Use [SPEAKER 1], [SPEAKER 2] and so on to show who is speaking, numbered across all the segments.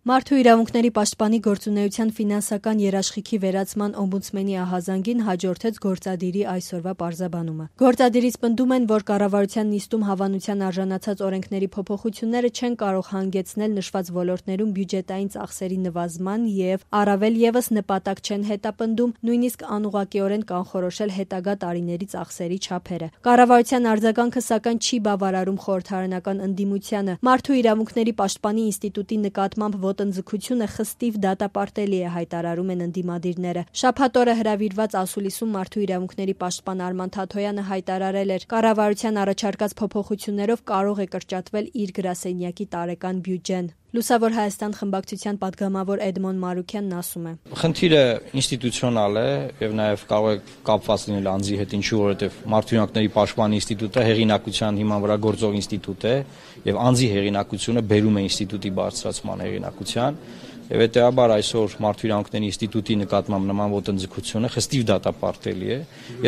[SPEAKER 1] Մարդու իրավունքների պաշտպանի գործունեության ֆինանսական երաշխիքի վերացման օմբուդսմենի ահազանգին հաջորդեց գործադիրի այսօրվա պարզաբանումը։ Գործադիրից պնդում են, որ կառավարության նիստում հավանության արժանացած օրենքների փոփոխությունները չեն կարող հանգեցնել նշված ոլորտներում բյուջետային ծախսերի նվազման եւ առավել եւս նպատակ չեն հետապնդում նույնիսկ անուղղակիորեն կանխորոշել հետագա տարիների ծախսերի չափերը։ Կառավարության արձագանքը սակայն չի բավարարում խորհրդարանական ընդդիմությանը։ Մարդու իրավունքների պաշտպանի ինստիտուտի նկատմամբ ոտնձգությունը խստիվ դատապարտելի է, հայտարարում են ընդդիմադիրները։ Շաբաթ օրը հրավիրված ասուլիսում մարդու իրավունքների պաշտպան Արման Թաթոյանը հայտարարել էր, կառավարության առաջարկած փոփոխություններով կարող է կրճատվել իր գրասենյակի տարեկան բյուջեն։ Լուսավոր Հայաստան խմբակցության պատգամավոր Էդմոն Մարուքյանն ասում է.
[SPEAKER 2] Խնդիրը ինստիտուցիոնալ է եւ նաեւ կարող է կապված լինել անձի հետ, ինչու որովհետեւ Մարդու իրավունքների պաշտպանի ինստիտուտը հեղինակության հիման վրա գործող ինստիտուտ է եւ անձի հեղինակությունը բերում է ինստիտուտի բարձրացման հեղինակության եւ հետեւաբար այսօր Մարդու իրավունքների ինստիտուտի նկատմամբ նման ոտնձգությունը խստիվ դատապարտելի է։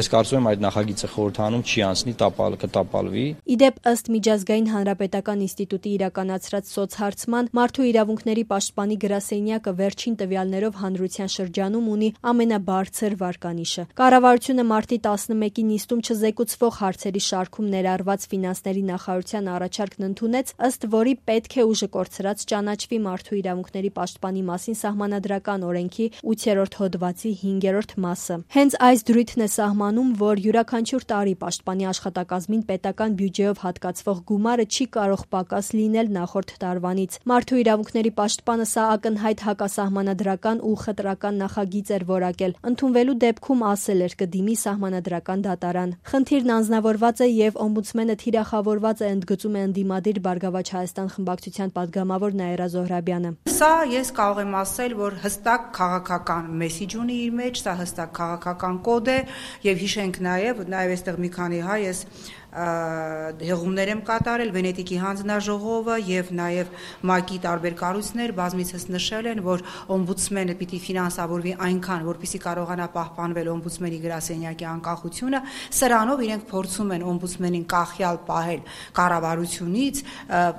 [SPEAKER 2] Ես կարծում եմ այդ նախագիծը խորհրդանում չի անցնի, կտապալվի։
[SPEAKER 1] Իդեպ ըստ Միջազգային հանրապետական ինստիտուտի իրականացրած սոցհարցման Մարդու իրավունքների պաշտպանի գրասենյակը վերջին տվյալներով հանրության շրջանում ունի ամենաբարձր վարկանիշը։ Կառավարությունը մարտի 11-ի նիստում չզեկուցվող հարցերի շարքում ներառված ֆինանսների նախարարության առաջարկն ընդունեց, ըստ որի պետք է ուժը կորցրած ճանաչվի Մարդու իրավունքների պաշտպանի մասին սահմանադրական օրենքի 8-րդ հոդվածի 5-րդ մասը։ Հենց այս դրույթն է սահմանում, որ յուրաքանչյուր տարի պաշտպանի աշխատակազմին պետական բյուջեով հատկացվող գումարը չի կարող պակաս լինել նախորդ տարվանից։ Մարդու իրավունքների պաշտպանը սա ակնհայտ հակասահմանադրական ու խտրական նախագիծ էր որակել։ Ընդունվելու դեպքում ասել էր կդիմի սահմանադրական դատարան։ Խնդիրն անձնավորված է եւ օմբուդսմենը թիրախավորված է, ընդգծում է ընդդիմադիր Բարգավաճ Հայաստան խմբակցության պատգամավոր Նաիրա Զոհրաբյանը։
[SPEAKER 3] Սա ես կարող եմ ասել, որ հստակ քաղաքական մեսիջ ունի իր մեջ, սա հստակ քաղաքական կոդ է եւ հիշենք նաեւ այստեղ մի քանի հայ ես հեղումներ եմ կատարել Վենետիկի հանձնաժողովը եւ նաեւ ՄԱԿ-ի տարբեր կառույցներ բազմիցս նշել են, որ օմբուդսմենը պիտի ֆինանսավորվի այնքան, որպեսզի կարողանա պահպանվել օմբուդսմենի գրասենյակի անկախությունը, սրանով իրենք փորձում են օմբուդսմենին կախյալ պահել կառավարությունից,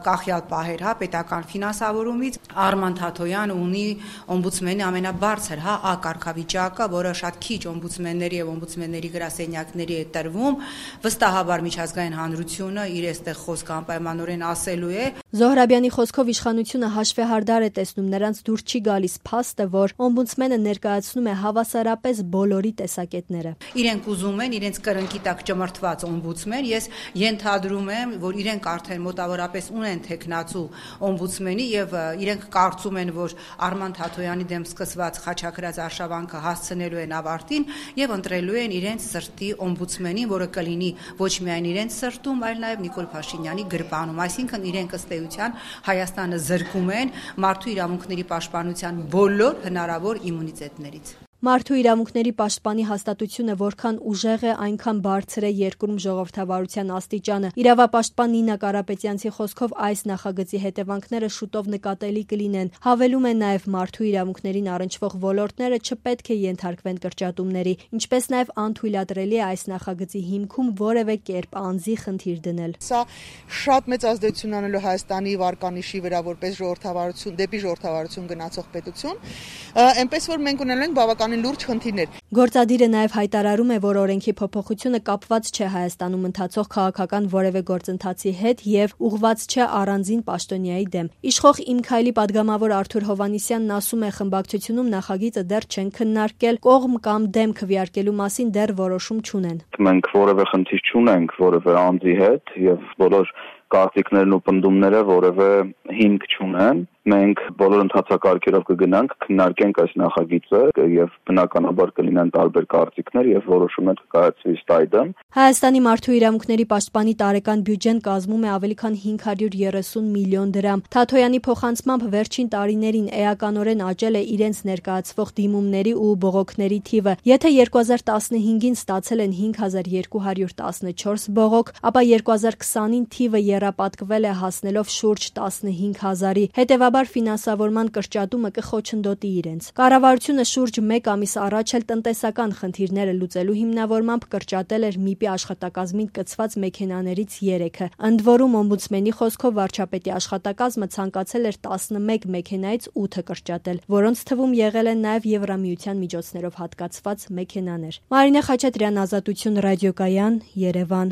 [SPEAKER 3] կախյալ պահել պետական ֆինանսավորումից։ Արման Թաթոյանը ունի օմբուդսմենի ամենաբարձր կարգավիճակը, որը շատ քիչ օմբուդսմենների եւ օմբուդսմենների գրասենյակների է տրվում, վստահաբար Ազգային հանրությունը իր այստեղ խոսքը անպայմանորեն ասելու է։
[SPEAKER 1] Զոհրաբյանի խոսքով իշխանությունը հաշվեհարդար է տեսնում նրանց դուր չի գալիս փաստը, որ օմբուդսմենը ներկայացնում է հավասարապես բոլորի տեսակետները։
[SPEAKER 3] Իրենք ուզում են իրենց կրնկի տակ ճմրթված օմբուդսմեն, ես ենթադրում եմ, որ իրենք արդեն մոտավորապես ունեն թեկնածու օմբուդսմենի եւ իրենք կարծում են, որ Արման Թաթոյանի դեմ սկսված խաչակրած արշավանքը հասցնելու են ավարտին եւ ընտրելու են իրենց սրտի օմբուդսմենին, որը կլինի ոչ միայն իրենց սրտում, այլ նաև Նիկոլ Փաշինյանի գրպանում, այսինքն իրենք ըստ էության Հայաստանը զրկում են մարդու իրավունքների պաշտպանության բոլոր հնարավոր իմունիտետներից։
[SPEAKER 1] Մարդու իրավունքների պաշտպանի հաստատությունը որքան ուժեղ է, այնքան բարձր է երկրում ժողովրդավարության աստիճանը։ Իրավապաշտպան Նինա Կարապետյանցի խոսքով այս նախագծի հետևանքները շուտով նկատելի կլինեն։ Հավելում է նաև մարդու իրավունքներին առնչվող ոլորտները չպետք է ենթարկվեն կրճատումների, ինչպես նաև անթույլատրելի է այս նախագծի հիմքում որևէ կերպ անձի խնդիր դնել։
[SPEAKER 4] Սա շատ մեծ ազդեցություն անելու Հայաստանի վարկանիշի վրա որպես ժողովրդավարություն դեպի ժողովրդավարություն գնացող պետություն, այնպես որ մենք ունենալու ենք բավական լուրջ խնդիրներ։
[SPEAKER 1] Գործադիրը նաև հայտարարում է, որ օրենքի փոփոխությունը կապված չէ Հայաստանում ընթացող քաղաքական որևէ գործընթացի հետ եւ ուղղված չէ առանձին պաշտոնյայի դեմ։ Իշխող Իմ քայլի պատգամավոր Արթուր Հովհաննիսյանն ասում է, խմբակցությունում նախագիծը դեռ չեն քննարկել, կողմ կամ դեմ քվեարկելու մասին դեռ որոշում չունեն։
[SPEAKER 5] Մենք որևէ խնդիր չունենք որևէ անձի հետ եւ բոլոր կարծիքներն ու պնդումները որևէ հիմք չունեն։ Մենք բոլոր ընթացակարգերով կգնանք, քննարկենք այս նախագիծը եւ բնականաբար կլինեն տարբեր կարծիքներ եւ որոշումներ կկայացվի ստայդը։
[SPEAKER 1] Հայաստանի մարդու իրավունքների պաշտպանի տարեկան բյուջեն կազմում է ավելի քան 530 միլիոն դրամ։ Թաթոյանի փոխանցմամբ վերջին տարիներին էականորեն աճել է իրենց ներկայացվող դիմումների ու բողոքների թիվը։ Եթե 2015-ին ստացել են 5214 բողոք, ապա 2020-ին թիվը եռապատկվել է հասնելով շուրջ 15000-ի։ Հետևաբար սովորաբար ֆինանսավորման կրճատումը կխոչընդոտի իրենց։ Կառավարությունը շուրջ 1 ամիս առաջ էլ տնտեսական խնդիրները լուծելու հիմնավորմամբ կրճատել էր ՄԻՊ-ի աշխատակազմին կցված մեքենաներից 3-ը։ Ընդ որում օմբուդսմենի խոսքով վարչապետի աշխատակազմը ցանկացել էր 11 մեքենայից 8-ը կրճատել, որոնց թվում եղել են նաև Եվրամիության միջոցներով հատկացված մեքենաներ։ Մարինե Խաչատրյան, Ազատություն ռադիոկայան, Երևան։